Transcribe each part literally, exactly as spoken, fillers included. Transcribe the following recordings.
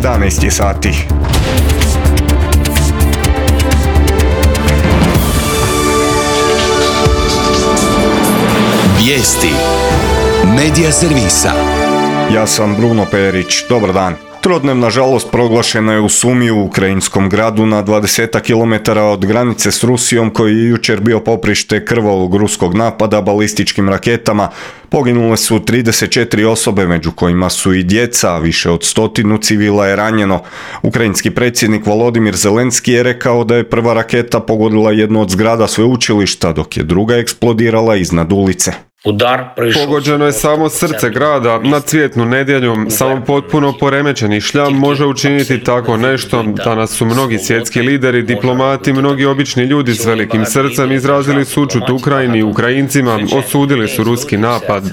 jedanaest je sati. Vijesti Medija servisa. Ja sam Bruno Perić, dobar dan. Trodnevna žalost proglašena je u Sumi u ukrajinskom gradu na dvadeset kilometara od granice s Rusijom, koji je jučer bio poprište krvavog ruskog napada balističkim raketama. Poginule su trideset četiri osobe, među kojima su i djeca, a više od stotinu civila je ranjeno. Ukrajinski predsjednik Volodimir Zelenski je rekao da je prva raketa pogodila jednu od zgrada sveučilišta, dok je druga eksplodirala iznad ulice. Pogođeno je samo srce grada. Na Cvjetnu nedjelju samo potpuno poremećeni šljam može učiniti tako nešto. Danas su mnogi svjetski lideri, diplomati, mnogi obični ljudi s velikim srcem izrazili sućut Ukrajini i Ukrajincima, osudili su ruski napad.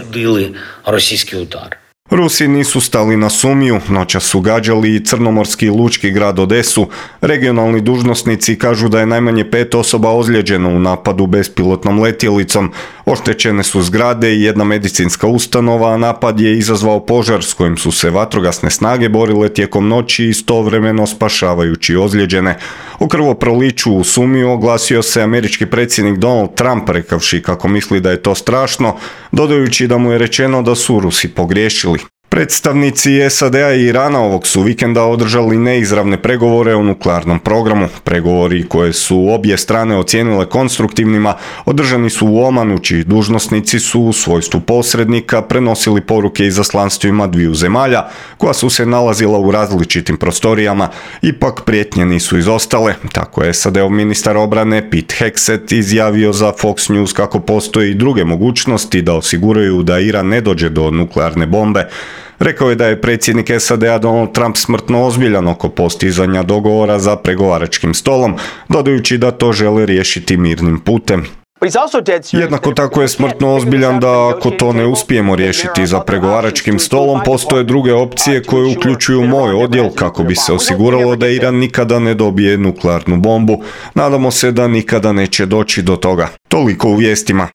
Rusi nisu stali na Sumiju, noćas su gađali i crnomorski i lučki grad Odesu. Regionalni dužnosnici kažu da je najmanje pet osoba ozlijeđeno u napadu bespilotnom letjelicom. Oštećene su zgrade i jedna medicinska ustanova, a napad je izazvao požar s kojim su se vatrogasne snage borile tijekom noći, istovremeno spašavajući ozlijeđene. O krvoproliću u Sumiju oglasio se američki predsjednik Donald Trump, rekavši kako misli da je to strašno, dodajući da mu je rečeno da su Rusi pogriješili. Predstavnici S A D-a i Irana ovog su vikenda održali neizravne pregovore o nuklearnom programu. Pregovori koje su obje strane ocijenile konstruktivnima održani su u Omanu, čiji dužnosnici su u svojstvu posrednika prenosili poruke izaslanstvima dviju zemalja koja su se nalazila u različitim prostorijama. Ipak prijetnje nisu izostale. Tako je S A D-ov ministar obrane Pete Hegseth izjavio za Fox News kako postoje i druge mogućnosti da osiguraju da Iran ne dođe do nuklearne bombe. Rekao je da je predsjednik S A D-a Donald Trump smrtno ozbiljan oko postizanja dogovora za pregovaračkim stolom, dodajući da to žele riješiti mirnim putem. Jednako tako je smrtno ozbiljan da ako to ne uspijemo riješiti za pregovaračkim stolom, postoje druge opcije koje uključuju moj odjel kako bi se osiguralo da Iran nikada ne dobije nuklearnu bombu. Nadamo se da nikada neće doći do toga. Toliko u vijestima.